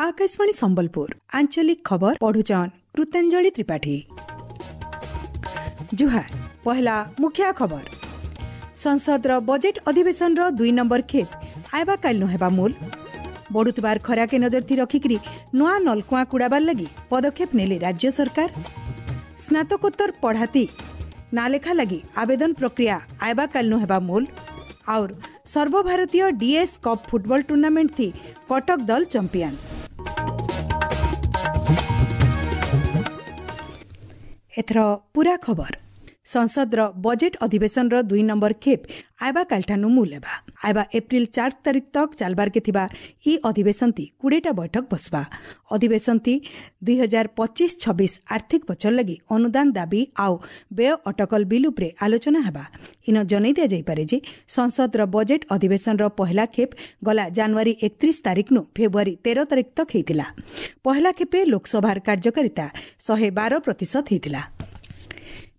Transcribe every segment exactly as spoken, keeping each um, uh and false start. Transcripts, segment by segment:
Akashvani Sambalpur ଆଞ୍ଚଳିକ ଖବର ପଢୁଛନ୍ କୃତାଞ୍ଜଳି ତ୍ରିପାଠୀ। ଜୁହାର। ପହଲା ମୁଖ୍ୟ ଖବର। ସଂସଦର ବଜେଟ୍ ଅଧିବେଶନର ଦୁଇ ନମ୍ବର ଖେପ୍ ଆଇବା କାଲିନୁ ହେବା ମୂଲ। ବଢୁଥିବାର ଖରାକେ ନଜର ଥି ରଖିକିରି ନୂଆ ନଲକୁଆଁ କୁଡ଼ାବାର ଲାଗି ପଦକ୍ଷେପ ନେଲେ ରାଜ୍ୟ ସରକାର। ସ୍ନାତକୋତ୍ତର ପଢ଼ାତି ନାଲେଖା ଲାଗି ଆବେଦନ ପ୍ରକ୍ରିୟା ଆଇବା କାଲିନୁ ହେବା ମୂଲ। ଆଉର ସର୍ବଭାରତୀୟ ଡିଏସ୍ କପ୍ ଫୁଟବଲ ଟୁର୍ଣ୍ଣାମେଣ୍ଟ ଥି କଟକ ଦଲ ଚମ୍ପିଆନ। ଏଥର ପୁରା ଖବର। ସଂସଦର ବଜେଟ୍ ଅଧିବେଶନର ଦୁଇ ନମ୍ବର ଖେପ୍ ଆଇବା କାଲିଠାନୁ ମୂଲ ହେବା। ଆଇବା ଏପ୍ରିଲ ଚାରି ତାରିଖ ତକ୍ ଚାଲବାରକେ ଥିବା ଇ ଅଧିବେଶନତି କୋଡ଼ିଏଟା ବୈଠକ ବସବା। ଅଧିବେଶନତି ଦୁଇ ହଜାର ପଚିଶ ଛବିଶ ଆର୍ଥିକ ବଛର ଲାଗି ଅନୁଦାନ ଦାବି ଆଉ ବ୍ୟୟ ଅଟକଲ ବିଲ୍ ଉପରେ ଆଲୋଚନା ହେବା। ଇନ ଜଣାଇ ଦିଆଯାଇପାରେ ଯେ ସଂସଦର ବଜେଟ୍ ଅଧିବେଶନର ପହଲା ଖେପ୍ ଗଲା ଜାନୁଆରୀ ଏକତିରିଶ ତାରିଖନୁ ଫେବୃଆରୀ ତେର ତାରିଖ ତକ୍ ହେଇଥିଲା। ପହଲା ଖେପେ ଲୋକସଭାର କାର୍ଯ୍ୟକାରିତା ଶହେ ବାର ପ୍ରତିଶତ ହେଇଥିଲା।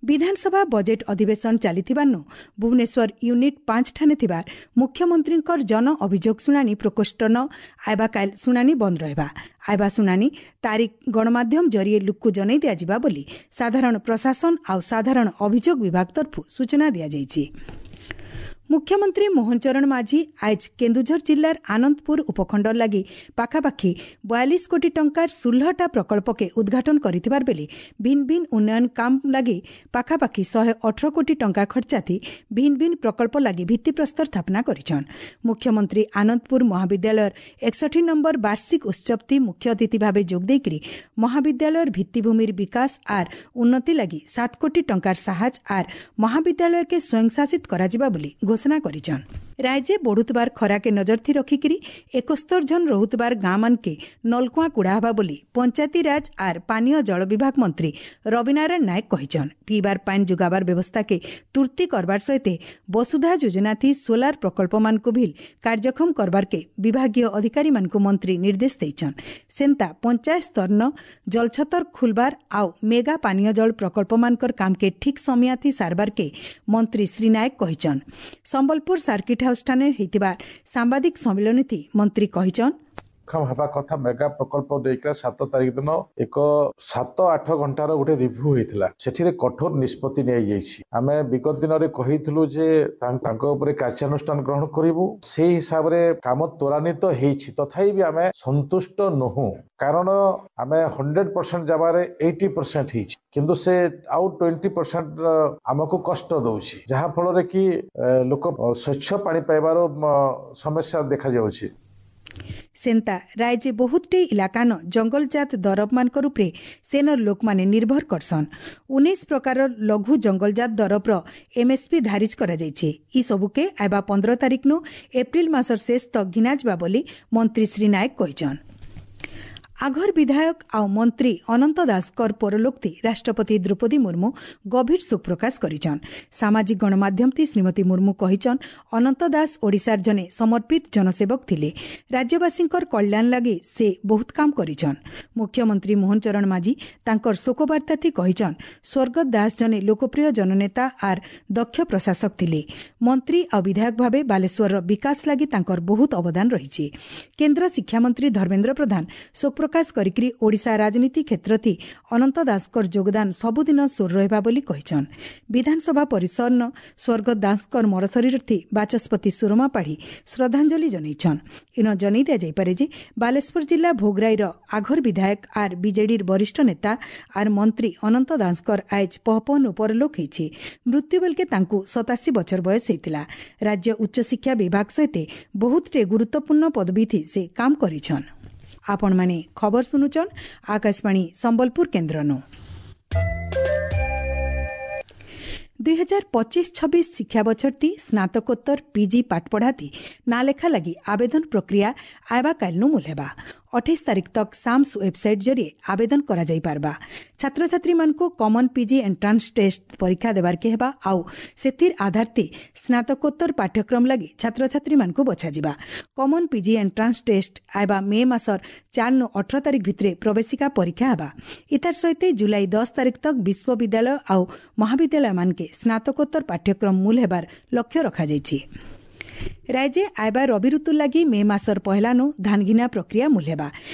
ବିଧାନସଭା ବଜେଟ୍ ଅଧିବେଶନ ଚାଲିଥିବାରୁ ଭୁବନେଶ୍ୱର ୟୁନିଟ୍ ପାଞ୍ଚ ଠାନେ ଥିବା ମୁଖ୍ୟମନ୍ତ୍ରୀଙ୍କର ଜନ ଅଭିଯୋଗ ଶୁଣାଣି ପ୍ରକୋଷ୍ଠନ ଆଇବା କାଲ ଶୁଣାଣି ବନ୍ଦ ରହିବା। ଆଇବା ଶୁଣାଣି ତାରିଖ ଗଣମାଧ୍ୟମ ଜରିଏ ଲୁକ୍କୁ ଜଣାଇ ଦିଆଯିବା ବୋଲି ସାଧାରଣ ପ୍ରଶାସନ ଆଉ ସାଧାରଣ ଅଭିଯୋଗ ବିଭାଗ ତରଫରୁ ସୂଚନା ଦିଆଯାଇଛି। ମୁଖ୍ୟମନ୍ତ୍ରୀ ମୋହନ ଚରଣ ମାଝୀ ଆଜ କେନ୍ଦୁଝର ଜିଲ୍ଲାର ଆନନ୍ଦପୁର ଉପଖଣ୍ଡ ଲାଗି ପାଖାପାଖି ବୟାଳିଶ କୋଟି ଟଙ୍କାର ଷୋହଳଟା ପ୍ରକଳ୍ପକେ ଉଦ୍ଘାଟନ କରିଥିବାର ବେଲେ ଭିନ୍ନ ଭିନ୍ନ ଉନ୍ନୟନ କାମ ଲାଗି ପାଖାପାଖି ଶହେ ଅଠର କୋଟି ଟଙ୍କା ଖର୍ଚ୍ଚାଥି ଭିନ୍ନ ଭିନ୍ନ ପ୍ରକଳ୍ପ ଲାଗି ଭିତ୍ତିପ୍ରସ୍ତର ସ୍ଥାପନା କରିଛନ୍। ମୁଖ୍ୟମନ୍ତ୍ରୀ ଆନନ୍ଦପୁର ମହାବିଦ୍ୟାଳୟର ଏକଷଠି ନମ୍ବର ବାର୍ଷିକ ଉତ୍ସବତି ମୁଖ୍ୟ ଅତିଥି ଭାବେ ଯୋଗ ଦେଇକରି ମହାବିଦ୍ୟାଳୟର ଭିତ୍ତିଭୂମିର ବିକାଶ ଆର୍ ଉନ୍ନତି ଲାଗି ସାତ କୋଟି ଟଙ୍କାର ସାହାଯ୍ୟ ଆର୍ ମହାବିଦ୍ୟାଳୟକେ ସ୍ୱୟଂଶାସିତ କରାଯିବା ବୋଲି ଘୋଷଣା କରିଛନ୍। ରାଜ୍ୟ ବଢୁଥିବାର ଖରାକେ ନଜର ଥି ରଖିକିରି ଏକସ୍ତର ଜନ ରହୁଥିବାର ଗାଁ ମାନକେ ନଲକୁଆଁ କୁଡ଼ା ହେବା ବୋଲି ପଞ୍ଚାୟତିରାଜ ଆର୍ ପାନୀୟ ଜଳ ବିଭାଗ ମନ୍ତ୍ରୀ ରବିନାରାୟଣ ନାୟକ କହିଛନ୍। ପିଇବାର ପାନି ଯୋଗାବାର ବ୍ୟବସ୍ଥାକେ ତୁର୍ତି କରବାର ସହିତ ବସୁଧା ଯୋଜନା ଥି ସୋଲାର ପ୍ରକଳ୍ପମାନଙ୍କୁ ଭିଲ୍ କାର୍ଯ୍ୟକ୍ଷମ କରବାରକେ ବିଭାଗୀୟ ଅଧିକାରୀମାନଙ୍କୁ ମନ୍ତ୍ରୀ ନିର୍ଦ୍ଦେଶ ଦେଇଛନ୍। ସେନ୍ତା ପଞ୍ଚାୟତ ସ୍ତରନ ଜଳଛତର ଖୁଲବାର ଆଉ ମେଗା ପାନୀୟ ଜଳ ପ୍ରକଳ୍ପମାନଙ୍କର କାମକେ ଠିକ୍ ସମୟାଥି ସାରବାରକେ ମନ୍ତ୍ରୀ ଶ୍ରୀ ନାୟକ କହିଛନ୍। ସମ୍ବଲପୁର ସାର୍କିଟ୍ ହାଉସ୍ ଠାନେ ହେଇଥିବା ସାମ୍ବାଦିକ ସମ୍ମିଳନୀ ମନ୍ତ୍ରୀ କହିଛନ୍, ହେବା କଥା ମେଗା ପ୍ରକଳ୍ପ ଦେଇକିନା ସାତ ତାରିଖ ଦିନ ଏକ ସାତ ଆଠ ଘଣ୍ଟାର ଗୋଟେ ରିଭ୍ୟୁ ହେଇଥିଲା। ସେଠିରେ କଠୋର ନିଷ୍ପତ୍ତି ନିଆଯାଇଛି। ଆମେ ବିଗତ ଦିନରେ କହିଥିଲୁ ଯେ ତାଙ୍କ ଉପରେ କାର୍ଯ୍ୟାନୁଷ୍ଠାନ ଗ୍ରହଣ କରିବୁ, ସେଇ ହିସାବରେ କାମ ତ୍ୱରାନ୍ୱିତ ହେଇଛି। ତଥାପି ବି ଆମେ ସନ୍ତୁଷ୍ଟ ନୁହଁ, କାରଣ ଆମେ ହଣ୍ଡ୍ରେଡ ପରସେଣ୍ଟ ଜାଗାରେ ଏଇଟି ପରସେଣ୍ଟ ହେଇଛି, କିନ୍ତୁ ସେ ଆଉ ଟ୍ୱେଣ୍ଟି ପରସେଣ୍ଟ ଆମକୁ କଷ୍ଟ ଦଉଛି, ଯାହା ଫଳରେ କି ଲୋକ ସ୍ୱଚ୍ଛ ପାଣି ପାଇବାର ସମସ୍ୟା ଦେଖାଯାଉଛି। ସେନ୍ତା ରାଜ୍ୟ ବହୁତଟେ ଇଲାକାନ ଜଙ୍ଗଲଜାତ ଦରବମାନଙ୍କର ଉପରେ ସେନର ଲୋକମାନେ ନିର୍ଭର କରସନ୍। ଉଣେଇଶ ପ୍ରକାରର ଲଘୁ ଜଙ୍ଗଲଜାତ ଦରବର ଏମ୍ଏସ୍ପି ଧାରିଜ କରାଯାଇଛି। ଇ ସବୁକେ ଆଇବା ପନ୍ଦର ତାରିଖନୁ ଏପ୍ରିଲ ମାସର ଶେଷ ତକ୍ ଘିନାଯିବା ବୋଲି ମନ୍ତ୍ରୀ ଶ୍ରୀ ନାୟକ କହିଛନ୍। ଆଘର ବିଧାୟକ ଆଉ ମନ୍ତ୍ରୀ ଅନନ୍ତ ଦାସଙ୍କର ପରଲୋକ୍ତି ରାଷ୍ଟ୍ରପତି ଦ୍ରୌପଦୀ ମୁର୍ମୁ ଗଭୀର ଶୋକ ପ୍ରକାଶ କରିଛନ୍। ସାମାଜିକ ଗଣମାଧ୍ୟମତି ଶ୍ରୀମତୀ ମୁର୍ମୁ କହିଛନ୍, ଅନନ୍ତ ଦାସ ଓଡ଼ିଶାର ଜଣେ ସମର୍ପିତ ଜନସେବକ ଥିଲେ। ରାଜ୍ୟବାସୀଙ୍କର କଲ୍ୟାଣ ଲାଗି ସେ ବହୁତ କାମ କରିଛନ୍। ମୁଖ୍ୟମନ୍ତ୍ରୀ ମୋହନ ଚରଣ ମାଝୀ ତାଙ୍କର ଶୋକବାର୍ତ୍ତାଥି କହିଛନ୍, ସ୍ୱର୍ଗତ ଦାସ ଜଣେ ଲୋକପ୍ରିୟ ଜନନେତା ଆର୍ ଦକ୍ଷ ପ୍ରଶାସକ ଥିଲେ। ମନ୍ତ୍ରୀ ଆଉ ବିଧାୟକ ଭାବେ ବାଲେଶ୍ୱରର ବିକାଶ ଲାଗି ତାଙ୍କର ବହୁତ ଅବଦାନ ରହିଛି। କେନ୍ଦ୍ର ଶିକ୍ଷାମନ୍ତ୍ରୀ ଧର୍ମେନ୍ଦ୍ର ପ୍ରଧାନ ଶୋକ ପ୍ରକାଶ କରିକି ଓଡ଼ିଶା ରାଜନୀତି କ୍ଷେତ୍ରଥି ଅନନ୍ତ ଦାସଙ୍କର ଯୋଗଦାନ ସବୁଦିନ ସୋର ରହିବା ବୋଲି କହିଛନ୍। ବିଧାନସଭା ପରିସରନ ସ୍ୱର୍ଗତ ଦାସଙ୍କର ମରଶରୀରଥି ବାଚସ୍ପତି ସୁରମା ପାଢ଼ୀ ଶ୍ରଦ୍ଧାଞ୍ଜଳି ଜଣାଇଛନ୍। ଇନ ଜଣାଇ ଦିଆଯାଇପାରେ ଯେ ବାଲେଶ୍ୱର ଜିଲ୍ଲା ଭୋଗରାଇର ଆଘର ବିଧାୟକ ଆର୍ ବିଜେଡିର ବରିଷ୍ଠ ନେତା ଆର୍ ମନ୍ତ୍ରୀ ଅନନ୍ତ ଦାସଙ୍କର ଆଇଜ ପହପହନୁ ପରଲୋକ ହେଇଛି। ମୃତ୍ୟୁ ବେଲକେ ତାଙ୍କୁ ସତାଅଶୀ ବଛର ବୟସ ହେଇଥିଲା। ରାଜ୍ୟ ଉଚ୍ଚଶିକ୍ଷା ବିଭାଗ ସହିତ ବହୁତଟେ ଗୁରୁତ୍ୱପୂର୍ଣ୍ଣ ପଦବୀଥି ସେ କାମ କରିଛନ୍। ଆପଣମାନେ ଖବର ଶୁଣୁଛନ୍ ଆକାଶବାଣୀ ସମ୍ବଲପୁର କେନ୍ଦ୍ରନୁ। ଦୁଇ ହଜାର ପଚିଶ ଛବିଶ ଶିକ୍ଷାବଛରତି ସ୍ନାତକୋତ୍ତର ପିଜି ପାଠପଢ଼ାତି ନାଲେଖା ଲାଗି ଆବେଦନ ପ୍ରକ୍ରିୟା ଆଇବା କାଲିନୁ ମୂଲ ହେବା। ଅଠେଇଶ ତାରିଖ ତକ୍ ସାମ୍ସ ୱେବସାଇଟ୍ ଜରିଏ ଆବେଦନ କରାଯାଇପାରବା। ଛାତ୍ରଛାତ୍ରୀମାନଙ୍କୁ କମନ୍ ପିଜି ଏଣ୍ଟ୍ରାନ୍ସ ଟେଷ୍ଟ ପରୀକ୍ଷା ଦେବାର୍କେ ହେବା ଆଉ ସେଥିର୍ ଆଧାରତି ସ୍ନାତକୋତ୍ତର ପାଠ୍ୟକ୍ରମ ଲାଗି ଛାତ୍ରଛାତ୍ରୀମାନଙ୍କୁ ବଛାଯିବା। କମନ୍ ପିଜି ଏଣ୍ଟ୍ରାନ୍ସ ଟେଷ୍ଟ ଆଇବା ମେ ମାସର ଚାରିରୁ ଅଠର ତାରିଖ ଭିତରେ ପ୍ରବେଶିକା ପରୀକ୍ଷା ହେବା। ଇତାର ସହିତ ଜୁଲାଇ ଦଶ ତାରିଖ ତକ୍ ବିଶ୍ୱବିଦ୍ୟାଳୟ ଆଉ ମହାବିଦ୍ୟାଳୟମାନକେ ସ୍ନାତକୋତ୍ତର ପାଠ୍ୟକ୍ରମ ମୂଲ ହେବାର ଲକ୍ଷ୍ୟ ରଖାଯାଇଛି। ରାଜ୍ୟ ଆଇବା ରବି ଋତୁ ଲାଗି ମେ ମାସର ପହିଲାନୁ ଧାନଘିନା ପ୍ରକ୍ରିୟା ମୂଲ ହେବା।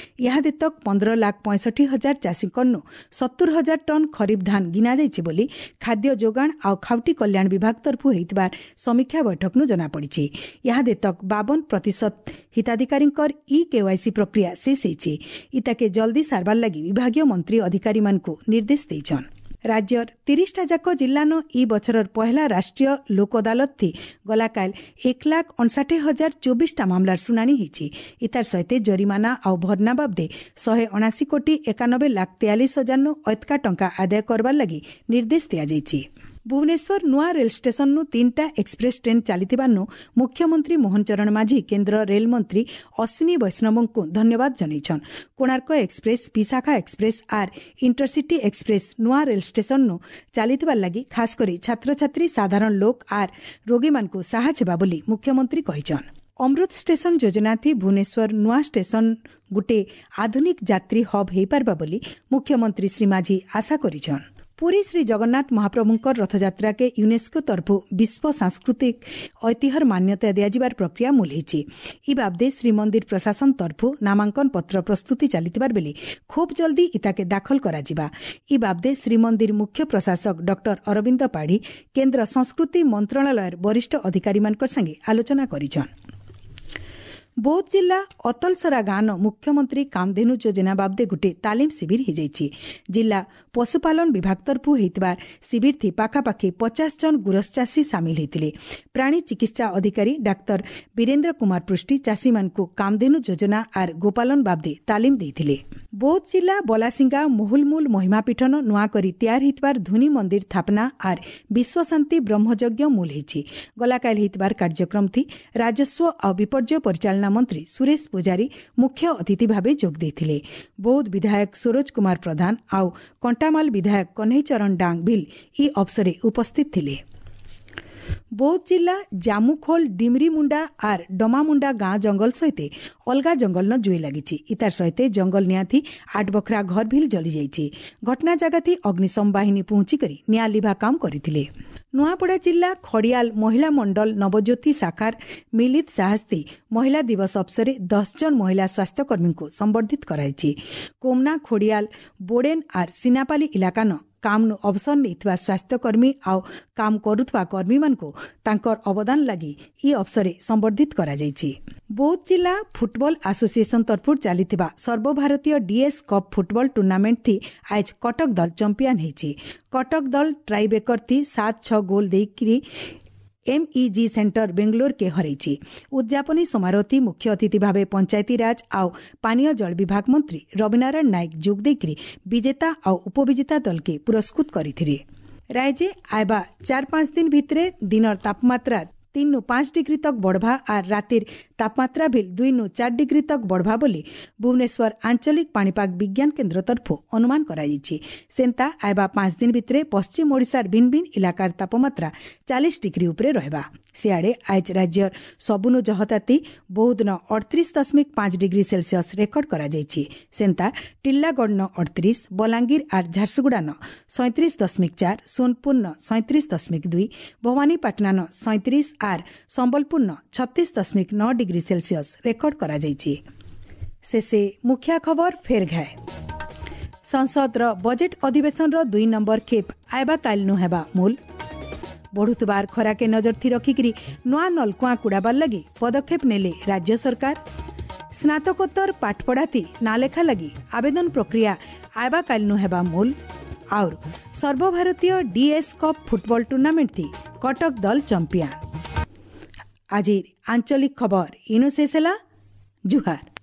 ଇହାଦେ ତକ୍ ପନ୍ଦର ଲାଖ ପଞ୍ଚଷଠି ହଜାର ଚାଷୀଙ୍କନୁ ସତୁର ହଜାର ଟନ୍ ଖରିଫ ଧାନ ଘିନା ଯାଇଛି ବୋଲି ଖାଦ୍ୟ ଯୋଗାଣ ଆଉ ଖାଉଟି କଲ୍ୟାଣ ବିଭାଗ ତରଫୁ ହୋଇଥିବା ସମୀକ୍ଷା ବୈଠକନୁ ଜଣାପଡ଼ିଛି। ଇହାଦେ ତକ୍ ବାବନ ପ୍ରତିଶତ ହିତାଧିକାରୀଙ୍କର ଇ କେୱାଇସି ପ୍ରକ୍ରିୟା ଶେଷ ହେଇଛି। ଇତାକେ ଜଲ୍ଦି ସାରବାର ଲାଗି ବିଭାଗୀୟ ମନ୍ତ୍ରୀ ଅଧିକାରୀମାନଙ୍କୁ ନିର୍ଦ୍ଦେଶ ଦେଇଛନ୍। ରାଜ୍ୟର ତିରିଶଟା ଯାକ ଜିଲ୍ଲାନ ଇ ବଛରର ପହିଲା ରାଷ୍ଟ୍ରୀୟ ଲୋକ ଅଦାଲତ ଥି ଗଲାକାଲ ଏକ ଲାଖ ଅଣଷାଠି ହଜାର ଚବିଶଟା ମାମଲାର ଶୁଣାଣି ହେଇଛି। ଇତାର ସହିତ ଜରିମାନା ଆଉ ଭରନା ବାବଦେ ଶହେ ଅଣାଅଶୀ କୋଟି ଏକାନବେ ଲାଖ ତେୟାଳିଶ ହଜାରନୁ ଅତକା ଟଙ୍କା ଆଦାୟ କରବାର ଲାଗି ନିର୍ଦ୍ଦେଶ ଦିଆଯାଇଛି। ଭୁବନେଶ୍ୱର ନୂଆ ରେଳ ଷ୍ଟେସନରୁ ତିନିଟା ଏକ୍ସପ୍ରେସ୍ ଟ୍ରେନ୍ ଚାଲିଥିବାରୁ ମୁଖ୍ୟମନ୍ତ୍ରୀ ମୋହନ ଚରଣ ମାଝୀ କେନ୍ଦ୍ର ରେଳମନ୍ତ୍ରୀ ଅଶ୍ୱିନୀ ବୈଷ୍ଣବଙ୍କୁ ଧନ୍ୟବାଦ ଜଣାଇଛନ୍। କୋଣାର୍କ ଏକ୍ସପ୍ରେସ୍, ବିଶାଖା ଏକ୍ସପ୍ରେସ୍ ଆର୍ ଇଣ୍ଟରସିଟି ଏକ୍ସପ୍ରେସ୍ ନୂଆ ରେଳ ଷ୍ଟେସନରୁ ଚାଲିଥିବାର ଲାଗି ଖାସ୍ କରି ଛାତ୍ରଛାତ୍ରୀ, ସାଧାରଣ ଲୋକ ଆର୍ ରୋଗୀମାନଙ୍କୁ ସାହାଯ୍ୟ ହେବା ବୋଲି ମୁଖ୍ୟମନ୍ତ୍ରୀ କହିଛନ୍। ଅମୃତ ଷ୍ଟେସନ ଯୋଜନାଥି ଭୁବନେଶ୍ୱର ନୂଆ ଷ୍ଟେସନ ଗୁଟେ ଆଧୁନିକ ଯାତ୍ରୀ ହବ୍ ହୋଇପାରବା ବୋଲି ମୁଖ୍ୟମନ୍ତ୍ରୀ ଶ୍ରୀ ମାଝୀ ଆଶା କରିଛନ୍। ପୁରୀ ଶ୍ରୀ ଜଗନ୍ନାଥ ମହାପ୍ରଭୁଙ୍କର ରଥଯାତ୍ରାକେ ୟୁନେସ୍କୋ ତରଫୁ ବିଶ୍ୱ ସାଂସ୍କୃତିକ ଐତିହ୍ୟର ମାନ୍ୟତା ଦିଆଯିବାର ପ୍ରକ୍ରିୟା ମୂଲ ହେଇଛି। ଇ ବାବଦେ ଶ୍ରୀମନ୍ଦିର ପ୍ରଶାସନ ତରଫୁ ନାମାଙ୍କନ ପତ୍ର ପ୍ରସ୍ତୁତି ଚାଲିଥିବାର ବେଲେ ଖୁବ୍ ଜଲ୍ଦି ଇତାକେ ଦାଖଲ କରାଯିବା। ଇ ବାବଦେ ଶ୍ରୀମନ୍ଦିର ମୁଖ୍ୟ ପ୍ରଶାସକ ଡକ୍ଟର ଅରବିନ୍ଦ ପାଢ଼ୀ କେନ୍ଦ୍ର ସଂସ୍କୃତି ମନ୍ତ୍ରଣାଳୟର ବରିଷ୍ଠ ଅଧିକାରୀମାନଙ୍କ ସାଙ୍ଗେ ଆଲୋଚନା କରିଛନ୍। ବୌଦ୍ଧ ଜିଲ୍ଲା ଅତଲସରା ଗାଁନ ମୁଖ୍ୟମନ୍ତ୍ରୀ କାମଧେନୁ ଯୋଜନା ବାବଦେ ଗୋଟିଏ ତାଲିମ ଶିବିର ହୋଇଯାଇଛି। ଜିଲ୍ଲା ପଶୁପାଳନ ବିଭାଗ ତରଫୁ ହୋଇଥିବା ଶିବିରଥି ପାଖାପାଖି ପଚାଶ ଜଣ ଗୁରସ ଚାଷୀ ସାମିଲ ହୋଇଥିଲେ। ପ୍ରାଣୀ ଚିକିତ୍ସା ଅଧିକାରୀ ଡାକ୍ତର ବୀରେନ୍ଦ୍ର କୁମାର ପୃଷ୍ଟି ଚାଷୀମାନଙ୍କୁ କାମଧେନୁ ଯୋଜନା ଆର୍ ଗୋପାଳନ ବାବଦେ ତାଲିମ ଦେଇଥିଲେ। ବୌଦ୍ଧ ଜିଲ୍ଲା ବଲାସିଙ୍ଗା ମହୁଲମୂଲ ମହିମାପୀଠନ ନୂଆ କରି ତିଆରି ହୋଇଥିବାର ଧୁନି ମନ୍ଦିର ସ୍ଥାପନା ଆର୍ ବିଶ୍ୱଶାନ୍ତି ବ୍ରହ୍ମଯଜ୍ଞ ମୂଲ ହେଇଛି। ଗଲାକାଲି ହୋଇଥିବାର କାର୍ଯ୍ୟକ୍ରମଥି ରାଜସ୍ୱ ଆଉ ବିପର୍ଯ୍ୟୟ ପରିଚାଳନା ମନ୍ତ୍ରୀ ସୁରେଶ ପୂଜାରୀ ମୁଖ୍ୟ ଅତିଥି ଭାବେ ଯୋଗ ଦେଇଥିଲେ। ବୌଦ୍ଧ ବିଧାୟକ ସରୋଜ କୁମାର ପ୍ରଧାନ ଆଉ କଣ୍ଟାମାଲ ବିଧାୟକ କହ୍ନେଇ ଚରଣ ଡାଙ୍ଗ ଭିଲ୍ ଇ ଅବସରେ ଉପସ୍ଥିତ ଥିଲେ। ବୌଦ୍ଧ ଜିଲ୍ଲା ଜାମୁଖୋଲ ଡିମରିମୁଣ୍ଡା ଆର୍ ଡମାମୁଣ୍ଡା ଗାଁ ଜଙ୍ଗଲ ସହିତ ଅଲଗା ଜଙ୍ଗଲନ ଜୁଇ ଲାଗିଛି। ଇତାର ସହିତ ଜଙ୍ଗଲ ନିଆଁଥି ଆଠ ବଖରା ଘର ଭିଲ୍ ଜଳିଯାଇଛି। ଘଟଣା ଜାଗାଥି ଅଗ୍ନିଶମ ବାହିନୀ ପହଞ୍ଚିକରି ନିଆଁ ଲିଭା କାମ କରିଥିଲେ। ନୂଆପଡ଼ା ଜିଲ୍ଲା ଖଡ଼ିଆଲ ମହିଳା ମଣ୍ଡଳ ନବଜ୍ୟୋତି ଶାଖାର ମିଳିତ ସାହସ୍ତି ମହିଳା ଦିବସ ଅବସରରେ ଦଶ ଜଣ ମହିଳା ସ୍ୱାସ୍ଥ୍ୟକର୍ମୀଙ୍କୁ ସମ୍ବର୍ଦ୍ଧିତ କରାଯାଇଛି। କୋମନା, ଖଡ଼ିଆଲ, ବୋଡେନ୍ ଆର୍ ସିନାପାଲି ଇଲାକାନ କାମନୁ ଅବସର ନେଇଥିବା ସ୍ୱାସ୍ଥ୍ୟକର୍ମୀ ଆଉ କାମ କରୁଥିବା କର୍ମୀମାନଙ୍କୁ ତାଙ୍କର ଅବଦାନ ଲାଗି ଇ ଅବସରରେ ସମ୍ବର୍ଦ୍ଧିତ କରାଯାଇଛି। ବୌଦ୍ଧ ଜିଲ୍ଲା ଫୁଟବଲ ଆସୋସିଏସନ ତରଫରୁ ଚାଲିଥିବା ସର୍ବଭାରତୀୟ ଡିଏସ୍ କପ୍ ଫୁଟବଲ ଟୁର୍ଣ୍ଣାମେଣ୍ଟ ଥି ଆଜ କଟକ ଦଳ ଚମ୍ପିଆନ ହେଇଛି। କଟକ ଦଳ ଟ୍ରାଇବେକର ଥି ସାତ ଛଅ ଗୋଲ ଦେଇକରି ଏମ୍ଇଜି ସେଣ୍ଟର ବେଙ୍ଗଲୋରକେ ହରାଇଛି। ଉଦ୍ଯାପନୀ ସମାରୋହଟି ମୁଖ୍ୟ ଅତିଥି ଭାବେ ପଞ୍ଚାୟତିରାଜ ଆଉ ପାନୀୟ ଜଳ ବିଭାଗ ମନ୍ତ୍ରୀ ରବିନାରାୟଣ ନାୟକ ଯୋଗ ଦେଇକରି ବିଜେତା ଆଉ ଉପବିଜେତା ଦଳକେ ପୁରସ୍କୃତ କରିଥିଲେ। ରାଜ୍ୟ ଆଇବା ଚାର ପାଞ୍ଚ ଦିନ ଭିତରେ ଦିନର ତାପମାତ୍ରା ତିନି ନୁ ପାଞ୍ଚ ଡିଗ୍ରୀ ତକ୍ ବଢ଼ବା ଆର୍ ରାତିର ତାପମାତ୍ରା ଭିଲ୍ ଦୁଇ ନୁ ଚାର ଡିଗ୍ରୀ ତକ୍ ବଢ଼ବା ବୋଲି ଭୁବନେଶ୍ୱର ଆଞ୍ଚଳିକ ପାଣିପାଗ ବିଜ୍ଞାନ କେନ୍ଦ୍ର ତରଫରୁ ଅନୁମାନ କରାଯାଇଛି। ସେନ୍ତା ଆଇବା ପାଞ୍ଚ ଦିନ ଭିତରେ ପଶ୍ଚିମ ଓଡ଼ିଶାର ଭିନ୍ନ ଭିନ୍ନ ଇଲାକାର ତାପମାତ୍ରା ଚାଳିଶ ଡିଗ୍ରୀ ଉପରେ ରହିବା। ସିଆଡ଼େ ଆଜ ରାଜ୍ୟର ସବୁନୁ ଜହତାତି ବହୁଦିନ ଅଠତିରିଶ ଦଶମିକ ପାଞ୍ଚ ଡିଗ୍ରୀ ସେଲସିୟସ୍ ରେକର୍ଡ କରାଯାଇଛି। ସେନ୍ତା ଟିଲ୍ଲାଗଡ଼ନ ଅଠତିରିଶ, ବଲାଙ୍ଗୀର ଆର୍ ଝାରସୁଗୁଡ଼ାନ ସଇଁତିରିଶ ଦଶମିକ ଚାର, ସୋନପୁରନ ସଇଁତିରିଶ ଦଶମିକ ଦୁଇ, ଭବାନୀପାଟଣାନ ସଇଁତିରିଶ ଆର୍ ସମ୍ବଲପୁରନ ଛତିଶ ଦଶମିକ ନଅ ଡିଗ୍ରୀ ସେଲସିୟସ୍ ରେକର୍ଡ କରାଯାଇଛି। ଶେଷେ ମୁଖ୍ୟ ଖବର ଫେର ଘାଏ। ସଂସଦର ବଜେଟ୍ ଅଧିବେଶନର ଦୁଇ ନମ୍ବର ଖେପ୍ ଆଇବା କାଲିନୁ ହେବା ମୂଲ। ବଢ଼ୁଥିବାର ଖରାକେ ନଜର ଥି ରଖିକିରି ନୂଆ ନଲକୁଆଁ କୁଡ଼ାବାର ଲାଗି ପଦକ୍ଷେପ ନେଲେ ରାଜ୍ୟ ସରକାର। ସ୍ନାତକୋତ୍ତର ପାଠପଢ଼ାଥି ନାଲେଖା ଲାଗି ଆବେଦନ ପ୍ରକ୍ରିୟା ଆଇବା କାଲିନୁ ହେବା ମୂଲ। ଆଉର ସର୍ବଭାରତୀୟ ଡିଏସ୍ କପ୍ ଫୁଟବଲ ଟୁର୍ଣ୍ଣାମେଣ୍ଟ ଥି କଟକ ଦଳ ଚମ୍ପିଆନ। ଆଜିର ଆଞ୍ଚଳିକ ଖବର ଇନୁ ଶେଷ ହେଲା। ଜୁହାର।